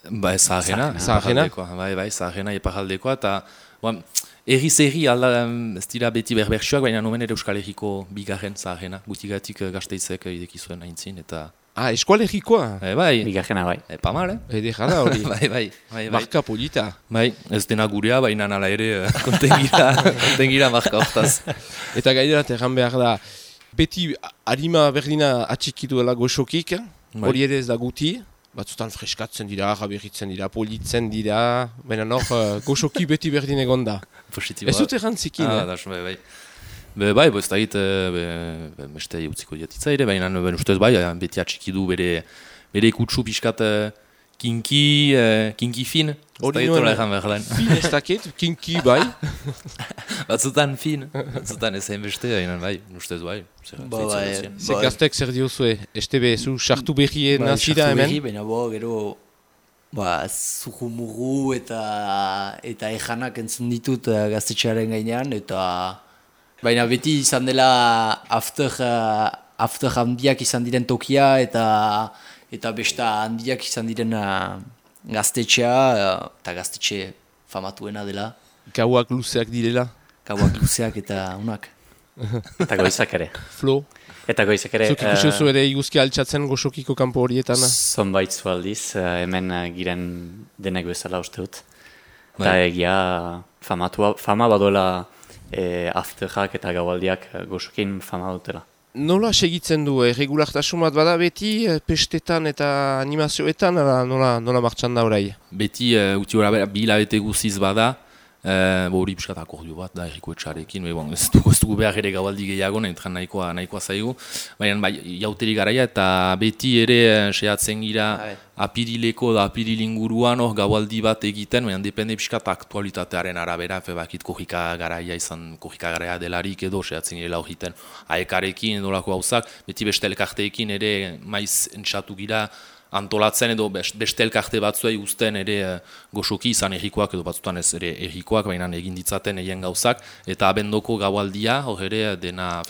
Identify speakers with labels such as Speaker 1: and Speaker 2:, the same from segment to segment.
Speaker 1: Bai, Zaharrena. Bai, Zaharrena iparaldekoa, eta erri ez dira beti berbertsuak, baina nomen ere Euskal Herriko bigarren Zaharrena, gutigatik Gasteizek ideki zuen aintzin, eta...
Speaker 2: eskualerikoa?
Speaker 1: Bai.
Speaker 3: Bigarrena, bai.
Speaker 1: Pas mal,
Speaker 2: Ede jala hori.
Speaker 1: Bai.
Speaker 2: Marka polita.
Speaker 1: Bai, ez dena gurea, baina nala ere kontengira marka hortaz.
Speaker 2: Eta gaiderat erran behar da, beti harima berdina atxikitu dela goxokik, hori ere ez da guti, batzutan freskatzen dira, jaberritzen dira, politzen dira, baina nor goxoki beti berdin egon da.
Speaker 1: Positiboa.
Speaker 2: Ez dut errantzikin,
Speaker 1: bai. Bai, ez da hit, beste utziko diatitza ere, baina ustez bai, beti atxikidu bere ikutsu pixkat kinki fin.
Speaker 2: Hori nuen, fin ez dakit, kinki bai.
Speaker 1: Batzutan fin, batzutan ezein beste, bai, ustez bai.
Speaker 2: Ze gaztek zer diozue, estebe zu sartu berrien nazira hemen?
Speaker 4: Baina gero, zuhumuru eta ejanak entzun ditut gaztetxearen gainean, eta... Baina beti izan dela after handiak izan diren tokia eta besta handiak izan diren gaztetxea eta gaztetxe famatuena dela.
Speaker 2: Gauak luzeak direla?
Speaker 4: Gauak luzeak eta unak.
Speaker 3: Eta goizak ere.
Speaker 2: Flo?
Speaker 3: Eta goizak ere...
Speaker 2: Zuk ikusiozu ere iguzki altxatzen goxokiko kanpo horietan?
Speaker 3: Zonbait zu aldiz, hemen giren denek bezala uste dut. Eta egia fama badoela... afterrak eta gaualdiak goxokin fama dutela.
Speaker 2: Nola segitzen du, regulartasun bat bada beti, pestetan eta animazioetan, nola martxan da orai?
Speaker 1: Beti, uti hori bi hilabete guziz bada, hori piskat akordio bat da erriko etxarekin, ez dugu behar ere gaualdi gehiago, entran nahikoa zaigu, baina jauteri garaia eta beti ere sehatzen gira apirileko da apirilinguruan gaualdi bat egiten, baina depende piskat aktualitatearen arabera, bakit korrika garaia delarik edo sehatzen girela horiten aekarekin edo lako gauzak, beti beste elkarteekin ere maiz entxatu gira, antolatzen edo beste elkarte batzuei uzten ere goxoki izan errikoak edo batzutan ez ere errikoak, baina egin ditzaten egin gauzak, eta abendoko gaualdia, hor ere dena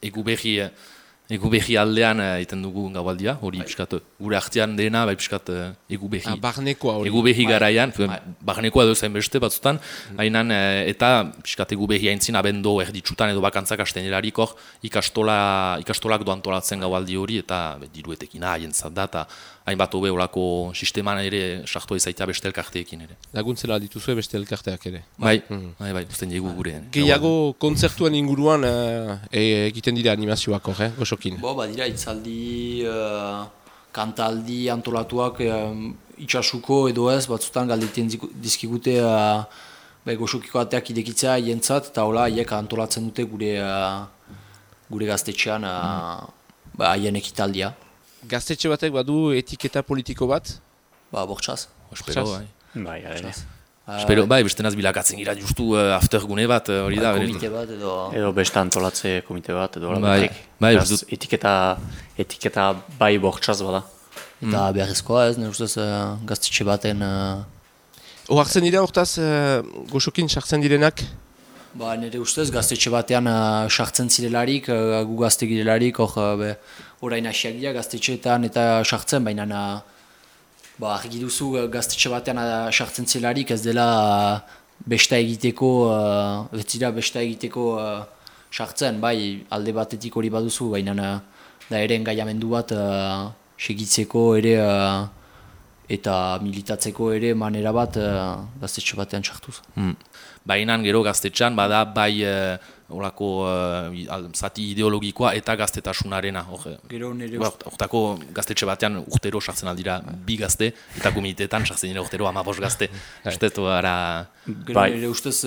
Speaker 1: egu berri aldean egiten dugu gaualdia, hori piskat gure artean dena, bai piskat egu berri garaian, barnekoa edo zain beste batzutan, eta piskat egu berri haintzin abendo erditsutan edo bakantzak astenelarik hor ikastolak do antolatzen gaualdi hori, eta diruetekin haien da, eta hainbat hobe olako sisteman ere sartua izaita beste elkarteekin ere.
Speaker 2: Laguntzela dituzue beste elkarteak ere?
Speaker 1: Bai, usten diegu gure.
Speaker 2: Gehiago kontzertuen inguruan egiten dira animazioak hor, goxokin?
Speaker 4: Badira, itzaldi, kantaldi antolatuak itxasuko edo ez, batzutan galdeiten dizkigute goxokiko ateak idekitzea hientzat, eta hola, haiek antolatzen dute gure gaztetxean haien ekitaldia.
Speaker 2: Gaztetxe batek badu etiketa politiko bat?
Speaker 4: Bortxaz.
Speaker 1: Espero,
Speaker 3: bai.
Speaker 1: Espero, bestenaz bilakatzen gira justu aftergune bat, hori da.
Speaker 4: Komite bat edo...
Speaker 3: Edo beste antolatze komite bat edo...
Speaker 1: Etiketa
Speaker 3: bai bortxaz bada.
Speaker 4: Eta beharrezkoa ez, nire ustez gaztetxe baten...
Speaker 2: Ohartzen dira hortaz goxokin sartzen direnak?
Speaker 4: Nire ustez gaztetxe batean sartzen zirelarik, gu gazte girelarik, orain hasiak dira gaztetxeetan eta sartzen, baina argi duzu gaztetxe batean sartzen zirelarik ez dela besta egiteko, sartzen, bai alde batetik hori baduzu, baina da ere engaiamendu bat segitzeko ere eta militatzeko ere manera bat gaztetxe batean sartuz.
Speaker 1: Baina gero gaztetxan bada bai olako zati ideologikoa eta gaztetasunarena. Hortako gaztetxe batean urtero sartzen aldira bi gazte, eta komitetan sartzen dira urtero 15 gazte. Estetu ara...
Speaker 4: Nire ustez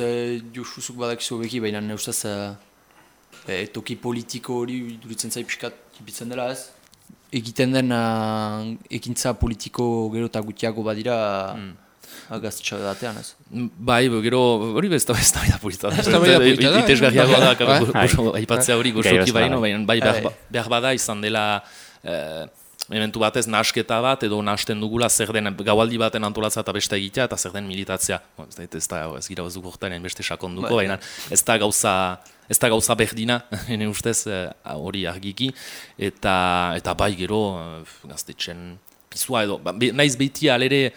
Speaker 4: Josuzuk badakizu beki, baina nire ustez toki politiko hori duritzen zai piskat kipitzen dela ez. Egiten den ekintza politiko gero eta gutiago badira gaztetxe batean ez.
Speaker 1: Bai, gero hori ez da polita da. Itesgarriago da, aipatzea hori goxoki baino, baina behar bada izan dela elementu batez nahasketa bat edo nahasten dugula zer den gaualdi baten antolatzea eta beste egitea eta zer den militatzea. Ez gira batzuk horretan beste sakonduko, baina ez da gauza berdina, ene ustez hori argiki, eta bai gero gaztetxen eskizua edo, naiz beti alere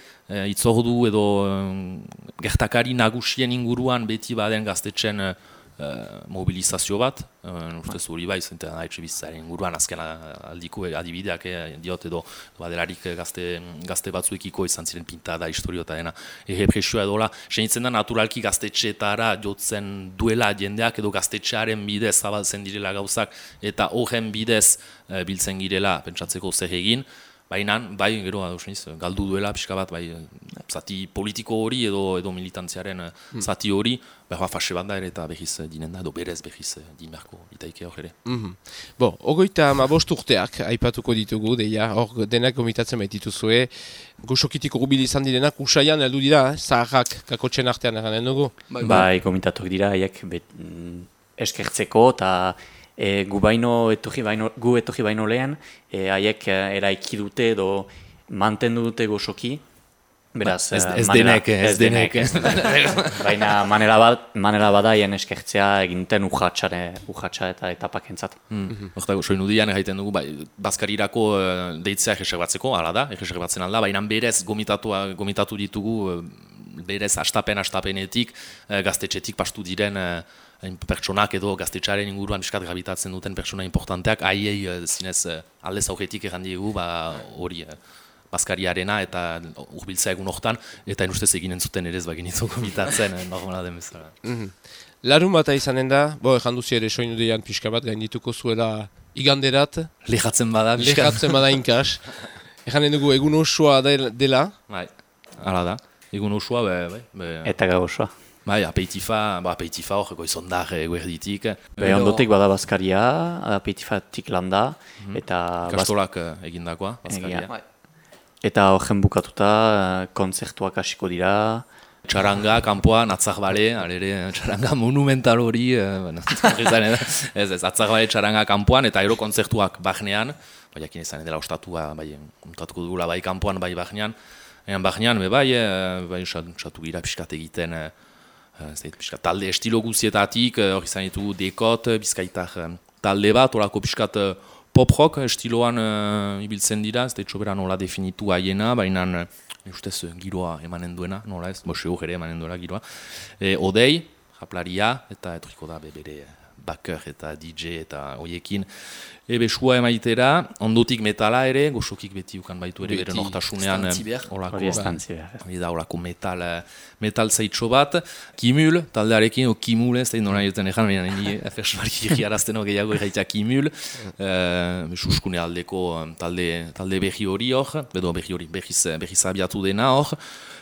Speaker 1: itzordu edo gertakari nagusien inguruan beti baden gaztetxen mobilizazio bat, ustez hori bai, zenten haitxe bizitzaren inguruan azken aldiko adibideak diot edo badelarik gazte batzuekiko izan ziren pintada, historio eta dena errepresioa edola, senitzen da naturalki gaztetxeetara jotzen duela jendeak edo gaztetxearen bidez zabaltzen direla gauzak eta horren bidez biltzen girela pentsatzeko zer egin. Baina, bai, gero, galdu duela pixka bat, bai, zati politiko hori edo militantziaren zati hori, behar fase bat da ere eta behiz dinen da, edo berez behiz din beharko itaike hor ere.
Speaker 2: Bo, 35 urteak aipatuko ditugu, deia, hor denak gomitatzen baitituzue, goxokitik urbil izan direnak, usaian heldu dira, zaharrak kakotxen artean eranen dugu?
Speaker 3: Bai, gomitatuk dira, haiek eskertzeko eta gu etorri baino lehen, haiek eraiki dute edo mantendu dute goxoki. Beraz,
Speaker 1: ez denek.
Speaker 3: Baina manera bada haien eskertzea egiten urratxa eta etapakentzat.
Speaker 1: Hortako, soinu dian egiten dugu, Baskarirako deitzea egeserbatzeko, hala da, egeserbatzen alda, baina berez gomitatu ditugu, berez astapenetik, gaztetxetik pastu diren pertsonak edo gaztetxaren inguruan biskat gravitatzen duten pertsona importanteak, haiei zinez aldez aurretik errandiegu hori Baskariarena eta urbiltzea egun hortan, eta enustez eginen zuten ere ez baginitu gomitatzen normala den bezala.
Speaker 2: Larun bata izanen da, erranduzi ere soinu dian pixka bat gaindituko zuela iganderat.
Speaker 1: Lehatzen bada
Speaker 2: inkas. Erranen dugu egun osoa dela.
Speaker 1: Bai, hala da. Egun osoa,
Speaker 3: Eta gau osoa.
Speaker 1: Bai, apeitifa hor, goizondar guerditik.
Speaker 3: Ondotik bada Baskaria, apeitifatik landa, eta...
Speaker 1: Kastolak egindakoa, Baskaria.
Speaker 3: Eta horren bukatuta, kontzertuak hasiko dira.
Speaker 1: Txaranga, kanpoan, atzakbale, alere, txaranga monumental hori, atzakbale txaranga kanpoan, eta ero kontzertuak bahnean, jakin izan dela ostatua, kontatuko dugula bai kanpoan, bai bahnean. Bahnean, bai, satu gira pixkat egiten, talde estilo guzietatik, hori izan ditugu dekot, bizkaitar talde bat, horako pixkat pop-rock estiloan ibiltzen dira, ez da etxobera nola definitu haiena, baina ustez giroa emanen duena, nola ez, bose hor ere emanen duela giroa. Odei, japlaria, eta etoriko da bere baker eta DJ eta hoiekin. Sua emaitera, ondotik metala ere, goxokik beti ukan baitu ere bere nortasunean. Olako metal zaitxo bat. Kimul, taldearekin, Kimul, ez da nola joten egan, baina nini fersmarki giarazteno gehiago erraitea Kimul. Suskune aldeko talde behi hori hor, edo behi hori behiz abiatu dena hor.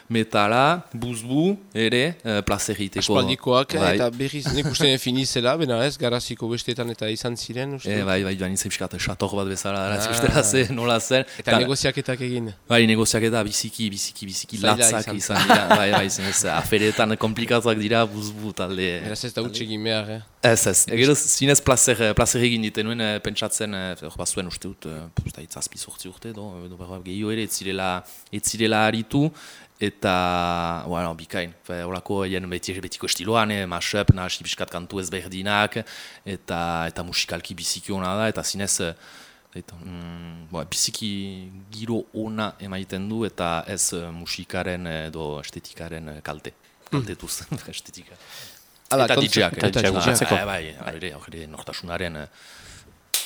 Speaker 1: Metala, buzbu, ere, plazer egiteko.
Speaker 2: Aspaldikoak, eta berriz nik uste finizela, bena ez, garaziko besteetan eta izan ziren, uste?
Speaker 1: Bai, joan izan pixkat, sator bat bezala, ustela zen, nola zen.
Speaker 2: Eta negoziaketak egin?
Speaker 1: Bai, negoziaketa biziki latzak izan dira, bai, zinez, aferetan komplikatuak dira, buzbu talde.
Speaker 2: Eraz ez da utxegin behar,
Speaker 1: Ez. Gero zinez plazer egin ditenuen, pentsatzen, bazuen uste dut, zazpi sortzi urte, edo gehiago ere, ez zirela aritu, eta, bikain, horako betiko estiloan, mashup, nahasi piskat kantu ezberdinak, eta musikalki biziki hona da, eta zinez, biziki giro ona emaiten du, eta ez musikaren edo estetikaren kaltetuz, estetika. Eta DJak, hori nortasunaren...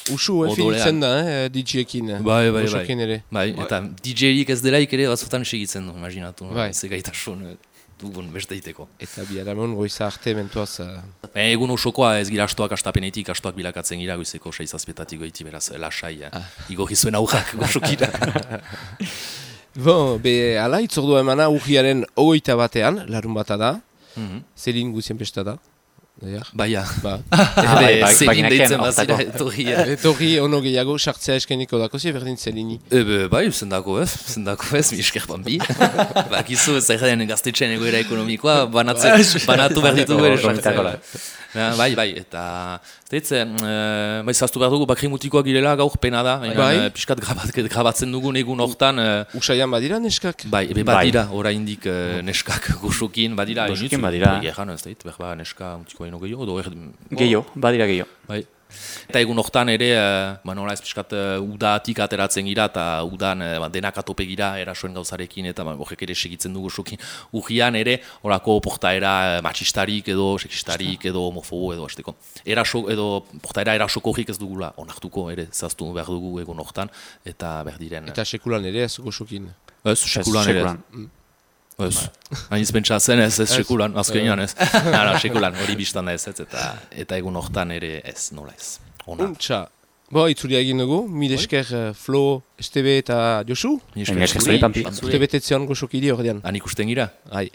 Speaker 2: Usu finitzen da, DJ-ekin, goxokin ere.
Speaker 1: Bai, eta DJ-ik ez delaik ere batzutan segitzen du, imaginatu, ze gaitasun dugun besteiteko.
Speaker 2: Eta biharamon goiza arte mentuaz...
Speaker 1: Egun osokoa ez gira astoak astapenetik, astoak bilakatzen gira goizeko 6-7 goiti, beraz, lasai, igorri zuen aurrak goxokira.
Speaker 2: Ala, itzordua emana urriaren 21 batean, larun bata da, zelin guzien pesta da.
Speaker 1: Baina,
Speaker 3: zegin deitzen
Speaker 1: bazira etorria.
Speaker 2: Etorri ono gehiago, sartzea eskeniko dako zi, berdin zelini.
Speaker 1: Bai, zendako ez, mi esker bambi. Bakizu, zerren gaztetxean egoera ekonomikoa, banatu behar ditugu ere sartzea. Bai, eta zaztu behar dugu bakri mutikoak girela gaur pena da, piskat grabatzen dugun egun hortan.
Speaker 2: Usaian badira neskak?
Speaker 1: Bai, badira, oraindik neskak goxokin, badira.
Speaker 3: Goxokin badira.
Speaker 1: Egan ez dait, berba neska mutikoa ino gehiago,
Speaker 3: Gehiago, badira gehiago.
Speaker 1: Bai, Eta egun hortan ere, nola ez pixkat udatik ateratzen gira, eta udan denak atope gira erasoen gauzarekin, eta horrek ere segitzen dugu sokin. Urrian ere, horako portaera matxistarik edo seksistarik edo homofobo edo azteko. Eraso edo portaera erasoko horrik ez dugula onartuko ere zaztu behar dugu egun hortan, eta berdiren.
Speaker 2: Eta sekulan ere ez goxokin.
Speaker 1: Ez, sekulan ere. Ez, hain izpentsa zen ez sekulan, azkenean ez. Sekulan hori biztan da ez, eta egun hortan ere ez, nola ez.
Speaker 2: Untxa, itzulia egin dugu, mil esker Flo, Estebe eta Josu.
Speaker 3: Mil esker zuri, Pampi.
Speaker 2: Urte betetzean goxokiri hor dian.
Speaker 1: Han ikusten gira?
Speaker 2: Hai.